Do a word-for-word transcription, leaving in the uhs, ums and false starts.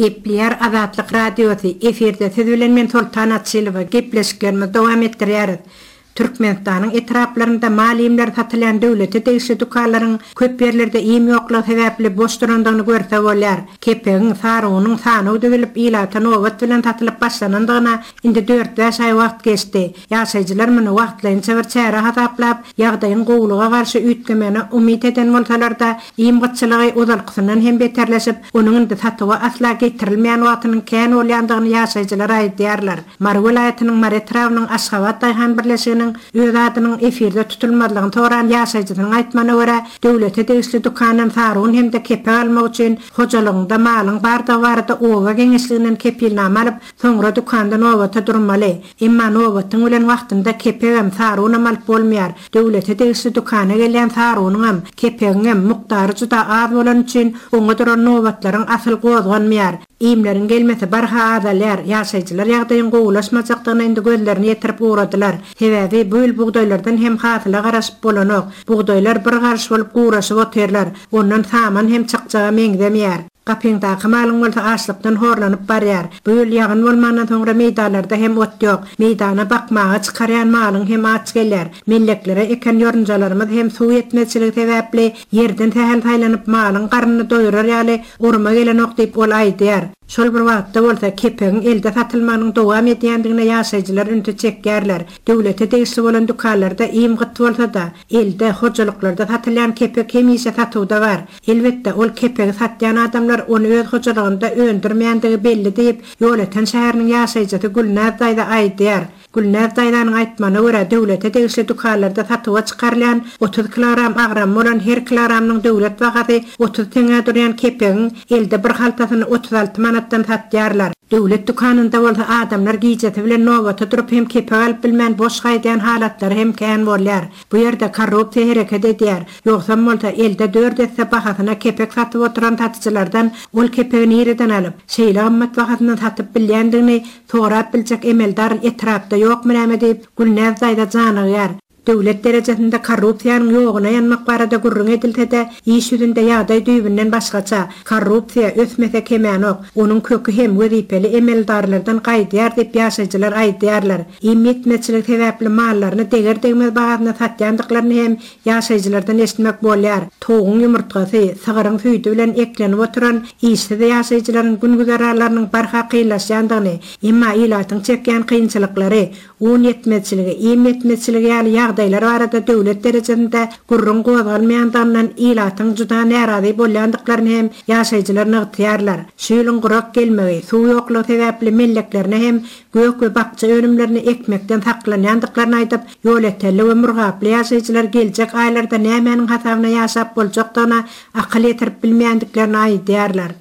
Gepleýär Azatlyk Radiosy, efirde siz bilen men Soltan Açylowa, gepleşiklerimizi dowam etdirýäris. Türkmenistanyň etraplarynda mal iýmleri satylýan döwlete degişli dükanlaryň köp ýerlerde iým ýoklugy sebäpli boş durandygyny görse bolýar. Kepegiň, sarynyň sanaw düzülip, ilata nobat bilen satylyp başlanandygyna indi dört-bäş aý wagt geçdi. Ýaşaýjylar muny wagtlaýynça bir çäre hasaplap, ýagdaýyň gowulyga garşy üýtgemegine umyt eden bolsalar-da, iým gytçylygy ozalkysyndan hem beterleşip, onuň indi satuwa asla getirilmeýän wagtynyň kän bolýandygyny ýaşaýjylar aýdýarlar. Mary welaýatynyň Mary etrabynyň Aşgabat daýhan birleşiginiň öz adynyň efirde tutulmazlygyny soran ýaşaýjysynyň aýtmagyna görä, döwlete degişli dükandan sarun hem-de kepek almak üçin hojalygyňda malyň bardygy barada oba geňeşliginden kepilnama alyp, soňra dükanda nobata durmaly. Emma nobatyň bilen wagtynda kepegem, sarunam alyp bolmaýar. Döwlete degişli dükana gelýän sarunyňam, kepegiňem mukdary juda az bolany üçin oňa duran nobatlaryň asyl gozganmaýar. Iýmleriň gelmesi barha azalýar. Ýaşaýjylar ýagdaýyň gowulaşmajakdygyna indi gözlerini ýetirip ugradylar. Sebäbi bu ýyl bugdaýlardan hem hasyla garaşyp bolanok. Bugdaýlar bir garyş bolup guraşyp otyrlar. Ondan saman hem çykjaga meňzemeýär. Gapyňdaky malyň bolsa açlykdan horlanyp barýar. Bu ýyl ýagyn bolmandan soňra meýdanlarda hem ot ýok. Meýdana bakmaga çykarýan malyň hem aç gelýär. Melleklere eken ýorunjalarymyz hem suw ýetmezçiligi sebäpli ýerden sähel saýlanyp malyň garnyny doýurar ýaly oruma gelenok diýip ol aýdýar. Şol bir wagtda bolsa kepegiň elde satylmagynyň dowam edýändigine ýaşaýjylar ünsi çekýärler. Döwlete degişli bolan dükanlarda iým gyt bolsa-da, elde, hojalyklarda satylýan kepek hemişe satuwda bar. Elbetde, ol kepegi satýan adamlar ony öz hojalygynda öndürmeýändigi belli diýip, Ýolöten şäheriniň ýaşaýjysy Gülnäz daýza aýdýar. Gülnäz daýzanyň aýtmagyna görä, döwlete degişli dükanlarda satuwa çykarylýan otuz kilogram agramy bolan her kilogramynyň döwlet bahasy otuz teňňä durýan kepegiň elde bir haltasyny otuz alty manatdan satýarlar. Döwlet dükanynda bolsa adamlar gijesi bilen nobata durup hem kepek alyp bilmän boş gaýdýan halatlary hem kän bolýar. Bu ýerde korrupsiýa hereket edýär. Ýogsam bolsa elde dört esse bahasyna kepek satyp oturan satyjylardan ol kepegi nireden alyp, şeýle gymmat bahasyndan satyp bilýändigini sorap biljek emeldar etrapda ýokmy näme diýip, Gülnäz daýza janygýar. Döwlet derejesinde korrupsiýanyň ýoguna ýanmak barada gürrüň edilse-de, iş ýüzünde ýagdaý düýbünden başgaça. Korrupsiýa ösmese kemänok. Onuň köki hem wezipeli emeldarlardan gaýdýar diýip ýaşaýjylar aýdýarlar. Iým ýetmezçiligi sebäpli mallaryny deger-degmez bahasyna satýandyklaryny hem ýaşaýjylardan eşitmek bolýar. Towugyň ýumurtgasy, sygyryň süýdi bilen eklenip oturan işsiz ýaşaýjylaryň gün-güzeranlarynyň barha kynlaşýandygyny, emma ilatyň çekýän kynçylyklary, un ýetmezçiligi, iým ýetmezçiligi ýaly ýagdaýlar barada döwlet derejesinde gürrüň gozgalmaýandygyndan ilatyň juda närazy bolýandyklaryny hem ýaşaýjylar nygtaýarlar. Şu ýylyň gurak gelmegi, suw ýoklugy sebäpli melleklerine hem gök we bakja önümlerini ekmekden saklanýandyklaryny aýdyp, Ýolötenli we Murgaply ýaşaýjylar geljek aýlarda nämäniň hasabyna ýaşap boljakdygyna akyl ýetirip bilmeýändiklerini aýdýarlar.